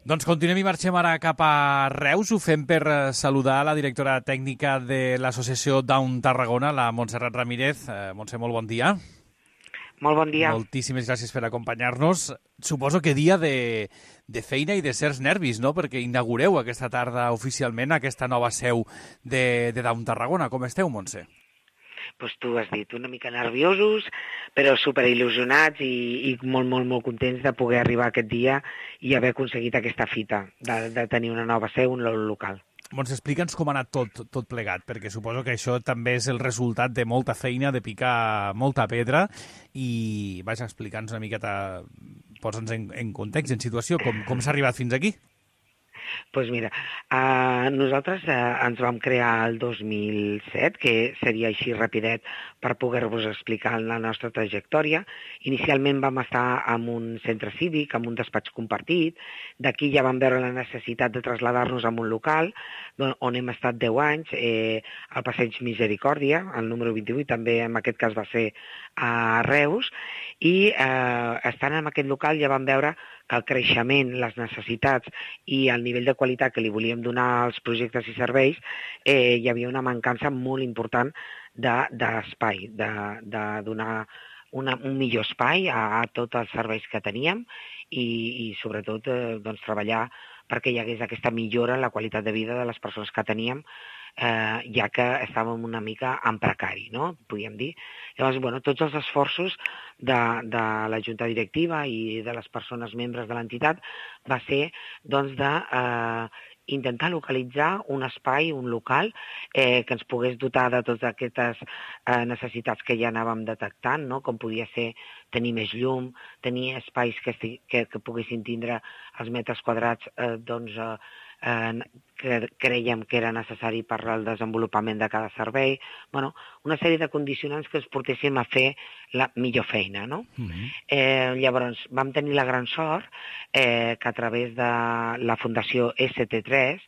Doncs continuem i marxem ara cap a Reus. Ho fem per saludar la directora tècnica de l'Associació Down Tarragona, la Montserrat Ramírez. Montse, molt bon dia. Molt bon dia. Moltíssimes gràcies per acompanyar-nos. Suposo que dia de feina i de certs nervis, no?, perquè inaugureu aquesta tarda oficialment aquesta nova seu de Down Tarragona. Com esteu, Montse? Pues tu has dit, una mica nerviosos, però superil·lusionats i molt contents de poder arribar aquest dia i haver aconseguit aquesta fita, de tenir una nova seu, un local. Montse, explica'ns com ha anat tot plegat, perquè suposo que això també és el resultat de molta feina, de picar molta pedra, i vaja, explica'ns una miqueta, posa'ns en context, en situació, com s'ha arribat fins aquí. Doncs mira, nosaltres ens vam crear el 2007, que seria així rapidet per poder-vos explicar la nostra trajectòria. Inicialment vam estar en un centre cívic, en un despatx compartit. D'aquí ja vam veure la necessitat de traslladar-nos a un local on hem estat 10 anys, al Passeig Misericòrdia, el número 28, també en aquest cas va ser a Reus, i estant en aquest local ja vam veure que el creixement, les necessitats i el nivell de qualitat que li volíem donar als projectes i serveis, hi havia una mancança molt important d'espai, de donar un millor espai a tots els serveis que teníem i sobretot treballar perquè hi hagués aquesta millora en la qualitat de vida de les persones que teníem, ja que estàvem una mica en precari, no?, podríem dir. Llavors, tots els esforços de la Junta Directiva i de les persones membres de l'entitat va ser, intentar localitzar un espai, un local, que ens pogués dotar de totes aquestes necessitats que ja anàvem detectant, no?, com podia ser tenir més llum, tenir espais que poguessin tindre els metres quadrats que creiem que era necessari per al desenvolupament de cada servei. Una sèrie de condicionants que ens portéssim a fer la millor feina, no? Llavors, vam tenir la gran sort que a través de la Fundació ST3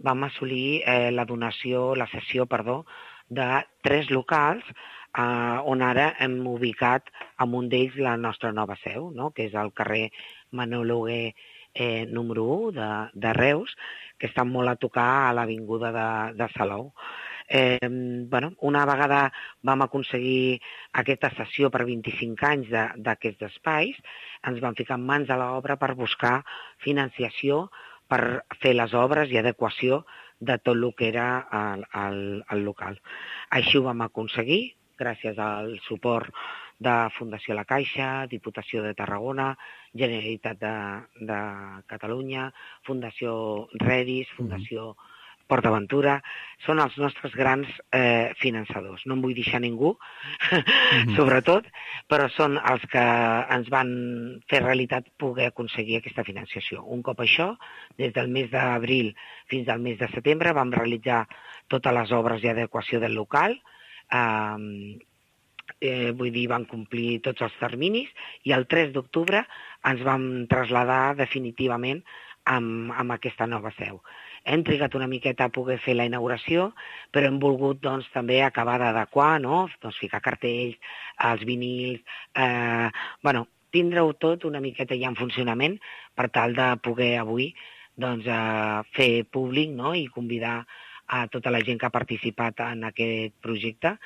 vam assolir la cessió de 3 locals on ara hem ubicat en un d'ells la nostra nova seu, no?, que és al carrer Manel Hugué número 1 de Reus, que està molt a tocar a l'avinguda de Salou. Una vegada vam aconseguir aquesta cessió per 25 anys d'aquests espais, ens vam ficar en mans a l'obra per buscar financiació per fer les obres i adequació de tot el que era el local. Així ho vam aconseguir, gràcies al suport de Fundació La Caixa, Diputació de Tarragona, Generalitat de Catalunya, Fundació Redis, Fundació PortAventura. Són els nostres grans finançadors. No en vull deixar ningú, sobretot, però són els que ens van fer realitat poder aconseguir aquesta financiació. Un cop això, des del mes d'abril fins al mes de setembre, vam realitzar totes les obres i adequació del local, van complir tots els terminis i el 3 d'octubre ens vam traslladar definitivament amb aquesta nova seu. Hem trigat una miqueta a poder fer la inauguració, però hem volgut també acabar d'adequar, no?, ficar cartells, els vinils, tindre-ho tot una miqueta ja en funcionament per tal de poder avui fer públic, no?, i convidar a tota la gent que ha participat en aquest projecte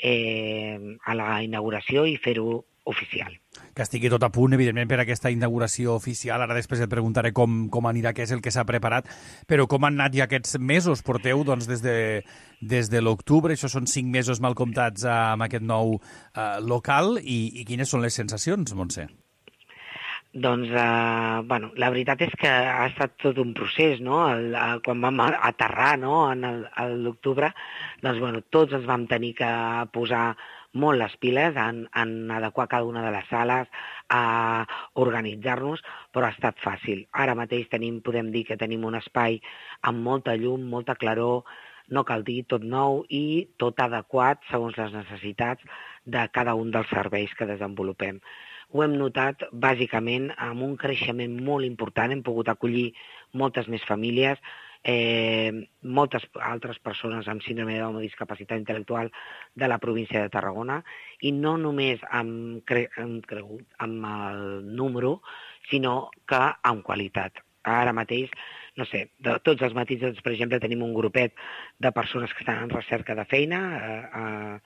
a la inauguració i fer-ho oficial. Que estigui tot a punt, evidentment, per aquesta inauguració oficial. Ara després et preguntaré com anirà, què és el que s'ha preparat, però com han anat ja aquests mesos? Porteu des de l'octubre, això són 5 mesos mal comptats amb aquest nou local, i quines són les sensacions, Montse? La veritat és que ha estat tot un procés, no? Quan vam aterrar, no?, a l'octubre, tots ens vam tenir que posar molt les piles en adequar cada una de les sales, a organitzar-nos, però ha estat fàcil. Ara mateix podem dir que tenim un espai amb molta llum, molta claror, no cal dir, tot nou i tot adequat segons les necessitats de cada un dels serveis que desenvolupem. Ho hem notat bàsicament amb un creixement molt important, hem pogut acollir moltes més famílies, moltes altres persones amb síndrome de discapacitat intel·lectual de la província de Tarragona, i no només hem cregut amb el número, sinó que amb qualitat. ara mateix, no sé, tots els matins, doncs, per exemple, tenim un grupet de persones que estan en recerca de feina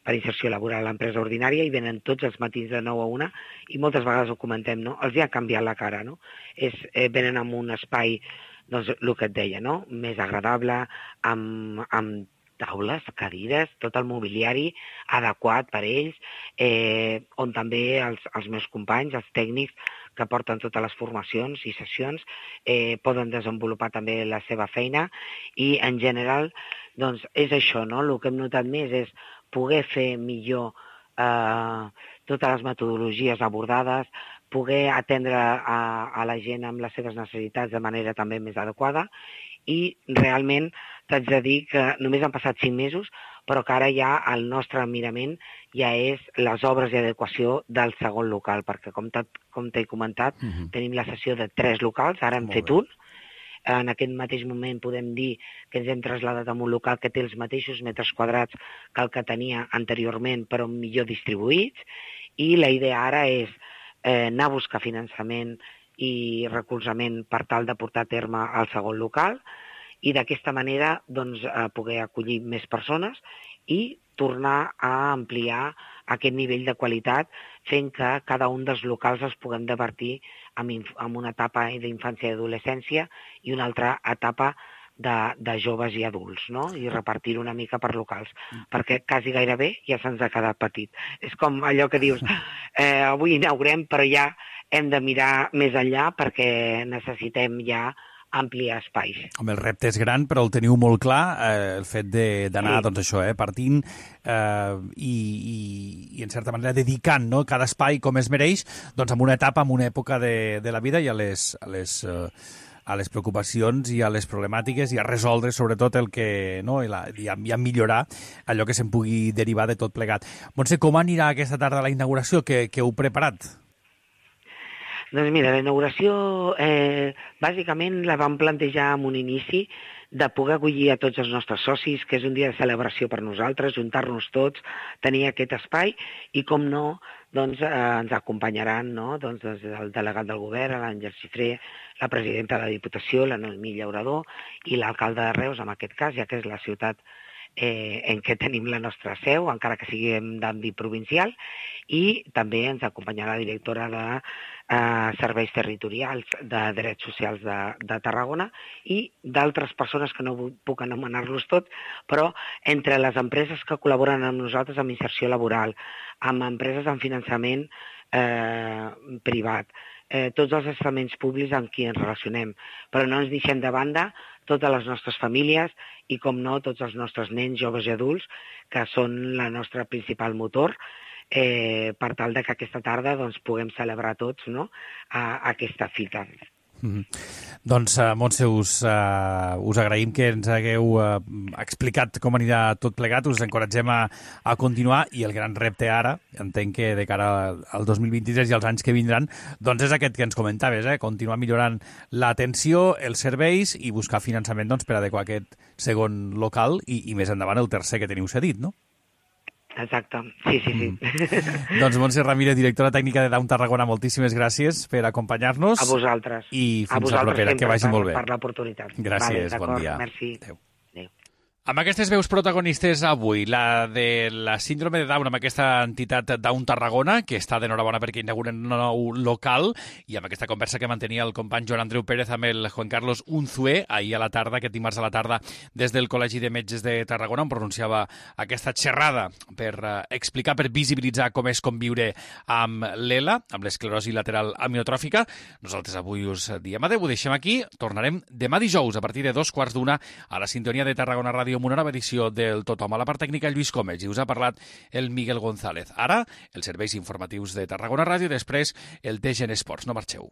per inserció laboral a l'empresa ordinària i venen tots els matins de 9 a 1 i moltes vegades ho comentem, no? Els hi ha canviat la cara, no? Venen amb un espai, doncs, el que et deia, no? Més agradable, amb taules, cadires, tot el mobiliari adequat per ells, on també els meus companys, els tècnics que porten totes les formacions i sessions, poden desenvolupar també la seva feina i, en general, doncs, és això, no? El que hem notat més és poder fer millor totes les metodologies abordades, poder atendre a la gent amb les seves necessitats de manera també més adequada i realment t'haig de dir que només han passat 5 mesos, però que ara ja el nostre mirament ja és les obres d'adequació del segon local, perquè com t'he comentat, tenim la sessió de 3 locals, ara hem fet un. En aquest mateix moment podem dir que ens hem traslladat a un local que té els mateixos metres quadrats que el que tenia anteriorment, però millor distribuïts, i la idea ara és anar a buscar finançament i recolzament per tal de portar a terme el segon local i d'aquesta manera doncs, poder acollir més persones i tornar a ampliar aquest nivell de qualitat fent que cada un dels locals els puguem divertir en una etapa d'infància i adolescència i una altra etapa de joves i adults, no? I repartir-ho una mica per locals, perquè quasi gairebé ja se'ns ha quedat petit. És com allò que dius, avui inaugurem, però ja hem de mirar més enllà perquè necessitem ja ampliar espais. Home, el repte és gran, però el teniu molt clar, el fet d'anar, doncs això, partint i en certa manera dedicant, no?, cada espai com es mereix, doncs en una etapa, en una època de la vida i a les preocupacions i a les problemàtiques i a resoldre sobretot el que, no, i a millorar allò que se'n pugui derivar de tot plegat. Montse, com anirà aquesta tarda la inauguració? Què heu preparat? Doncs mira, la inauguració bàsicament la vam plantejar en un inici de poder acollir a tots els nostres socis, que és un dia de celebració per nosaltres, juntar-nos tots, tenir aquest espai i, com no, doncs, ens acompanyaran, no? Doncs, el delegat del govern, l'Àngel Cifré, la presidenta de la Diputació, la Noemí Llaurador i l'alcalde de Reus, en aquest cas, ja que és la ciutat en què tenim la nostra seu, encara que siguem d'àmbit provincial, i també ens acompanyarà la directora de Serveis Territorials de Drets Socials de Tarragona i d'altres persones que no puc anomenar-los tots, però entre les empreses que col·laboren amb nosaltres en inserció laboral, amb empreses en finançament privat, tots els estaments públics amb qui ens relacionem, però no ens deixem de banda totes les nostres famílies i, com no, tots els nostres nens, joves i adults, que són la nostra principal motor, per tal que aquesta tarda doncs, puguem celebrar tots, no?, aquesta fita. Doncs, Montse, us agraïm que ens hagueu explicat com anirà tot plegat, us encoratgem a continuar i el gran repte ara, entenc que de cara al 2023 i als anys que vindran, doncs és aquest que ens comentaves, continuar millorant l'atenció, els serveis i buscar finançament per adequar aquest segon local i més endavant el tercer que teniu cedit, no? Exacte, sí. Doncs Montse Ramírez, directora tècnica de Dawn Tarragona, moltíssimes gràcies per acompanyar-nos. A vosaltres. I fins a la propera, que vagi molt bé. Per l'oportunitat. Gràcies, bon dia. Merci. Adéu. Amb aquestes veus protagonistes avui, la de la síndrome de Down amb aquesta entitat Dawn Tarragona, que està d'enhorabona perquè inauguren un nou local, i amb aquesta conversa que mantenia el company Joan Andreu Pérez amb el Juan Carlos Unzué, ahir a la tarda, aquest dimarts a la tarda, des del Col·legi de Metges de Tarragona, on pronunciava aquesta xerrada per explicar, per visibilitzar com és conviure amb l'ELA, amb l'esclerosi lateral amiotròfica. Nosaltres avui us diem adeu, ho deixem aquí, tornarem demà dijous a partir de 2:15 a la sintonia de Tarragona Ràdio amb una nova edició del Tothom. A la part tècnica, Lluís Comes, i us ha parlat el Miguel González. Ara, els serveis informatius de Tarragona Ràdio, després el TGN Esports. No marxeu.